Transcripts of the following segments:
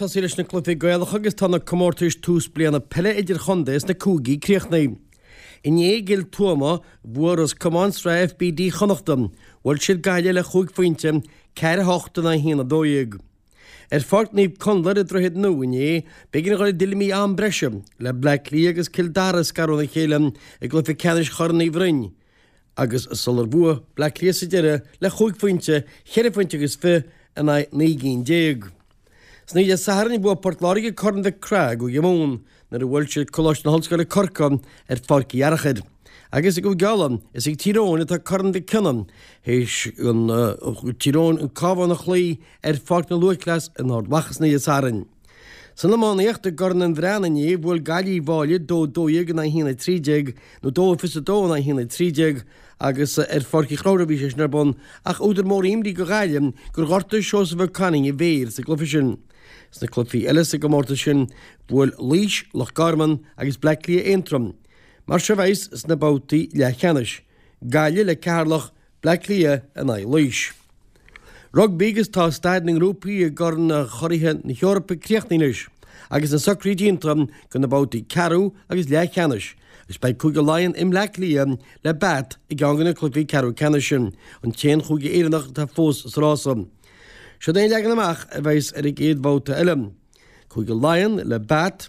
Tosaí leis na cluichí Gaelacha agus tá na comórtais tús bliana peile idirchontae sna cúigí críochnaithe. Inné i gCill Tuama, bhuaigh Ros Comáin Sraith FBD Chonnachta. Bhuail siad Gaillimh le chúig phointe, 4, 8 in aghaidh 1, 12. Ar Pháirc Naomh Conlair i Droichead Nua inné, b'éigean a dhul i dtuilleamaí am breise le Bleá Cliath agus Cill Dara a scaradh óna chéile i gcluiche ceannais Chorn Uí Bhroin agus sular bhuaigh Bleá Cliath sa deireadh le chúig phointe, cheithre phointe agus fi in aghaidh 19 gcinn. San oíche Dé Sathairn, bhuaigh Port Láirge Corn Mhic Craith i gCúige Mumhan nuair a bhuail siad Coláiste na hOllscoile Corcaigh ar Pháirc Uí Fhearchair. Agus i gCúige Uladh, is ag Tír Eoghain atá Corn Mhic Cionnaith théis Tír Eoghain an Cabhán a chloí ar Pháirc na Lúthchleas in Ard Mhacha san oíche Dé Sathairn. San iománaíocht i gCorn an Bhreathnaigh inné, bhuail Gaillimh Uíbh Fhailí 2, 12 in aghaidh 1, 13, nó 2, 22 in aghaidh 1, 13, agus ar Pháirc Uí Chonchúir a bhí sé sin ar bun, ach údar mór imní do Ghaillimh gur ghortaigh Seosamh Ó Cainnigh a mhéar sa gcluiche sin. Sna cluichí eile sa gcomórtas sin, bhuail Laois, Loch Garman agus Bleá Cliath Aontroim. Mar seo a bheas sna babhtaí leathcheannais, Gaillimh le Ceatharlach, Bleá Cliath in aghaidh Laois. Rugbaí agus tá staid na ngrúpaí i gCorn Churaithe na hEorpa críochnaithe anois agus na socruithe déanta do na babhtaí ceathrú agus leathcheannais agus beidh Cúige Laighean i mBleá Cliath le Bath i gceann de na cluichí ceathrú ceannais sin, an t-aon chúige Éireannach atá fós sa rása. Siod é an leagan amach a bheas ar an gcéad bhabhta eile. Cúige Laighean le Bath,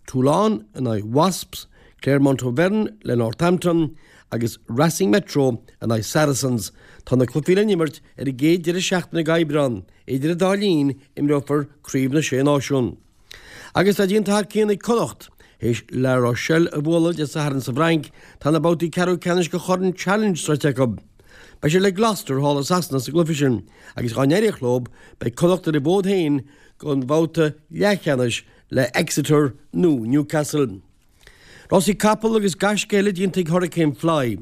Toulon in aghaidh Wasps, Clermont Auvergne le Northampton agus Racing Metro in aghaidh Saracens. Tá na cluichí le n-imirt ar an gcéad deireadh seachtaine d'Aibreán. Idir an dá linn, imreofar Craobh na Sé Náisiún. Agus tá déanta thar cionn ag Connacht. Théis La Rochelle a bhualadh Dé Sathairn sa bhFrainc, tá na babhtaí ceathrú ceannais de Chorn Challenge sroichte acu. Beidh siad le Gloucester thall i Sasana sa gcluiche sin agus dá n-éireodh leo, beidh Connacht ar a bhfód féin don bhabhta leathcheannais le Exeter nó Newcastle. Rásaí capall agus gaisce eile déanta ag Hurricane Fly,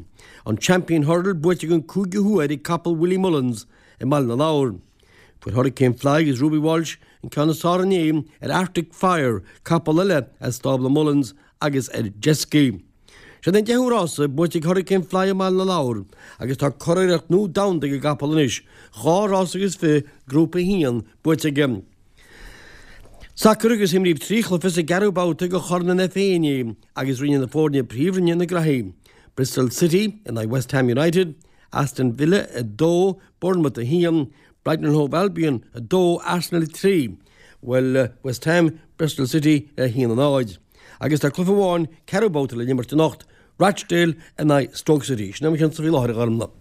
an Champion Hurdle buaite den cúigiú huair ag capall Willie Mullins i mBaile na Lobhar. Fuair Hurricane Fly agus Ruby Walsh an ceann is fearr inné ar Arctic Fire, capall eile as stábla Mullins, agus ar Jezki. Siod é an deichiú rása buaite ag Hurricane Fly i mBaile na Lobhar agus tá curiarracht nua domhanda ag an gcapall anois, 2 rás agus 20 Grúpa 1 buaite aige. Sacar agus imríodh 3 chluiche sa gceathrú babhta de Chorn an FA inné agus rinne na foirne Príomhroinne na graithí, Bristol City in aghaidh West Ham United, Aston Villa 2, Bournemouth 1, Brighton and Hove Albion 2, Arsenal 3. Bhuail West Ham Bristol City le 1 0. Agus tá cluiche amháin, ceathrú babhta le n-imirt anocht, Rochdale in aghaidh Stoke City. Sin é mo chionsa faoi láthair a Ghormfhlaith.